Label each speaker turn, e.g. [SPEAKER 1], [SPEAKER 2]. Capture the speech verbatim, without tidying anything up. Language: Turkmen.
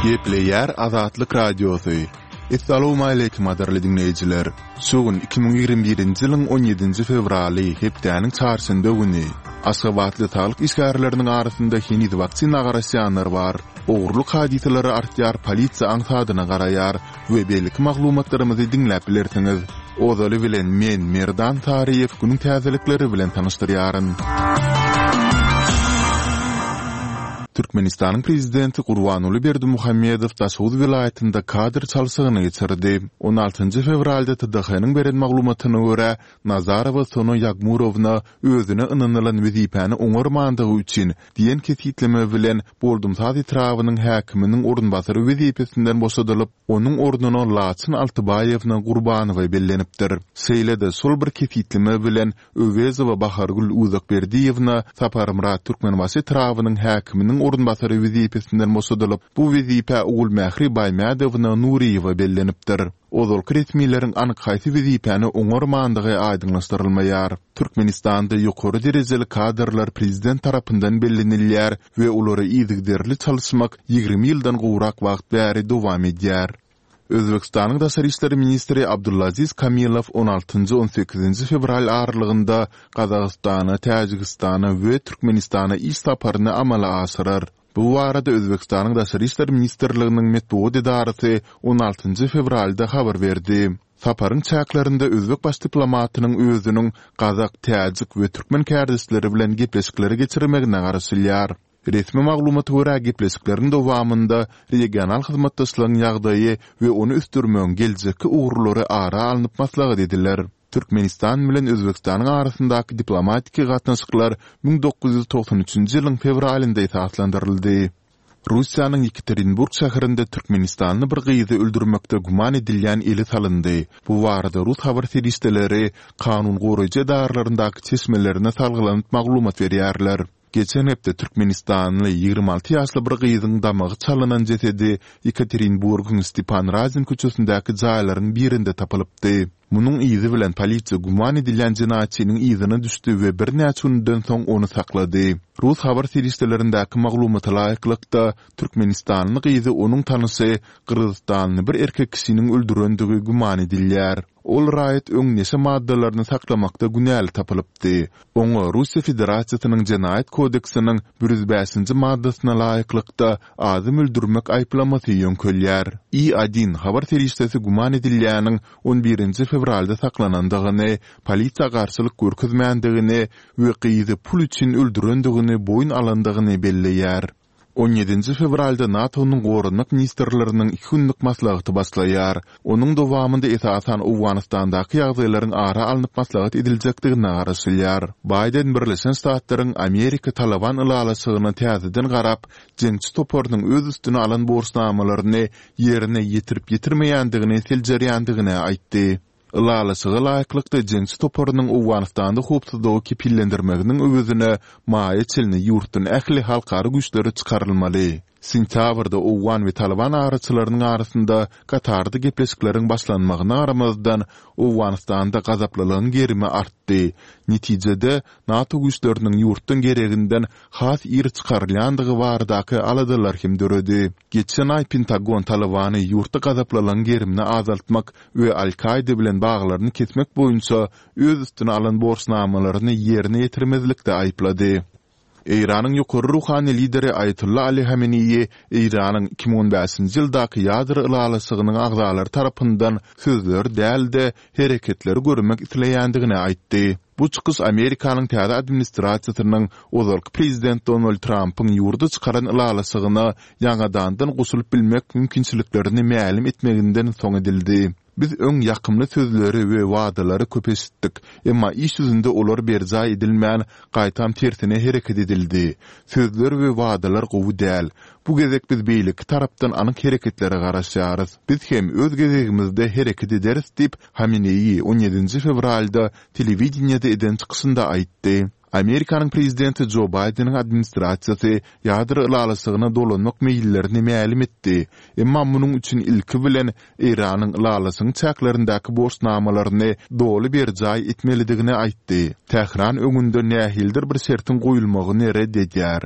[SPEAKER 1] Gepleýär Azatlyk Radiosy. Essalawmaleýkim gadyrly diňleýjiler. Şu gün iki müň ýigrimi birinji ýylyň on ýedinji fewraly, hepdäniň çarşenbe güni. Aşgabatly saglyk işgärleriniň arasynda heniz waksina garaşýanlar bar. Ogurlyk hadysalary artýar, polisiýa aňsadyna garaýar we beýleki maglumatlarymyzy diňläp bilersiňiz. Ozaly bilen men, Merdan Saryýew, günüň täzelikleri bilen tanyşdyrýaryn. Türkmenistanyň Prezidenti Gurbanguly Berdimuhamedow Daşoguz welaýatynda kadr çalşygyny geçirdi. On altynjy fewralda T D H-nyň beren maglumatyna görä, Nazarowa Sona Ýagmurowna özüne ynanylan wezipäni oňarmandygy üçin diýen kesgitleme bilen Boldumsaz etrabynyň häkiminiň orunbasary wezipesinden boşadylyp, onuň ornuna Laçyn Altybaýewna Gurbanowa bellenipdir. Şeýle-de şol bir kesgitleme bilen Öwezowa Bahargül Uzakberdiýewna Saparmyrat Türkmenbaşy etrabynyň häkiminiň orunbasary wezipesinden boşadylyp, bu wezipä Ogulmähri Baýmädowna Nuryýewa bellenipdir. Ozalky resmileriň anyk haýsy wezipäni oňarmandygy aýdyňlaşdyrylmaýar. Türkmenistanda ýokary derejeli kadrlar prezident tarapyndan bellenilýär we olary yzygiderli çalyşmak ýigrimi ýyldan gowrak wagt bäri dowam edýär. Özbegistanyň daşary işler ministri Abdulaziz Kamilow on altynjy-on sekizinji fewral aralygynda Gazagystana, Täjigistana we Türkmenistana iş saparyny amala aşyrar. Bu barada Özbegistanyň Daşary işler ministrliginiň metbugat edarasy on altynjy fewralda habar berdi. Saparyň çäklerinde özbek baş diplomatynyň özüniň gazak, täjik we türkmen kärdeşleri bilen gepleşikleri geçirmegine garaşylýar. Resmi maglumata görä, gepleşikleriň dowamynda regional hyzmatdaşlygyň ýagdaýy we ony ösdürmegiň geljekki ugurlary ara alnyp maslahat ediler. Türkmenistan bilen Özbegistanyň arasyndaky diplomatik gatnaşyklar müň dokuz ýüz togsan üçünji ýylyň fewralynda esaslandyryldy. Russiýanyň Ýekaterinburg şäherinde türkmenistanly bir gyzy öldürmekde güman edilýän ele salyndy. Bu barada rus habar serişdeleri kanun goraýjy edaralaryndaky çeşmelerine salgylanyp maglumat berýärler. Geçen hepde türkmenistanly ýigrimi alty ýaşly bir gyzyň damagy çalynan jesedi Ýekaterinburgyň Stepan Razin köçesindäki jaýlaryň birinde tapylypdy. Munuň yzy bilen polisiýa güman edilýän jenaýatçynyň yzyna düşdi we birnäçe günden soň ony saklady. Rus habar serişdelerindäki maglumata laýyklykda, türkmenistanly gyzy onuň tanyşy gyrgyzystanly bir erkek kişiniň öldürendigi güman edilýär. Ol raýat öň neşe maddalaryny saklamakda günäli tapylypdy. Oňa Russiýa Federasiýasynyň Jenaýat kodeksiniň bir ýüz bäşinji maddasyna laýyklykda adam öldürmek aýyplamasy ýöňkelýär. I Odin habar serişdesi güman edilýäniň on birinji fewralda saklanandygyny, polisiýa garşylyk görkezmändigini we gyzy pul üçin öldürendigini boýun alandygyny belleýär. On ýedinji fewralda NATO-nyň goranmak ministrleriniň iki günlük maslahaty başlaýar. Onuň dowamynda esasan Owganystandaky ýagdaýlaryň ara alnyp maslahat ediljekdigine garaşylýar. Baýden Birleşen Ştatlaryň Amerika-Taliban ylalaşygyna täzeden garap, jeňçi toparynyň öz üstüne alan borçnamalaryny ýerine ýetirip-ýetirmeýändigini seljerýändigini aýtdy. Ylalaşyga laýyklykda jeňçi toparynyň Owganystanda howpsuzlygy kepillendirmeginiň öwezine maýa çenli ýurtdan ähli halkara güýçleri çykarylmaly. Sentýabrda owgan we talyban araçylarynyň arasynda Katarda gepleşikleriň başlanmagyna garamazdan, Owganystanda gazaplylygyň gerimi artdy. Netijede, NATO güýçleriniň ýurtdan gereginden has ir çykarylýandygy baradaky aladalar hem döredi. Geçen aý Pentagon Talybany ýurtda gazaplylygyň gerimini azaltmak we Al-Kaýda bilen baglaryny kesmek boýunça öz üstüne alan borçnamalaryny ýerine ýetirmezlikde aýyplady. Eýranyň ýokary ruhany lideri Aýatolla Ali Hameneýi Eýranyň iki müň on bäşinji ýyldaky ýadro ylalaşygynyň agzalary tarapyndan sözleri däl-de, hereketleri görmek isleýändigini aýtdy. Bu çykyş Amerikanyň täze administrasiýasynyň ozalky prezident Donald Trampyň ýurda çykaran ylalaşygyna ýaňadandan goşulyp bilmek mümkinçiliklerini mälim etmeginden soň edildi. Biz öň ýakymly sözleri we wadalary köp eşitdik, emma iş ýüzünde olar berjaý edilmän, gaýtam tersine hereket edildi. Sözler we wadalar gowy däl. Bu gezek biz beýleki tarapdan anyk hereketlere garaşýarys. Biz hem öz gezegimizde hereket ederis diýip, Hameneýi on ýedinji fewralda telewideniýede eden çykyşynda aýtdy. Amerikanyň prezidenti Jo Baýdeniň administrasiýasy ýadro ylalaşygyna dolanmak meýillerini mälim etdi, emma munuň üçin ilki bilen Eýranyň ylalaşygyň çäklerindäki borçnamalaryny doly berjaý etmelidigini aýtdy. Tähran öňünde nähilidir bir şertiň goýulmagyny ret edýär.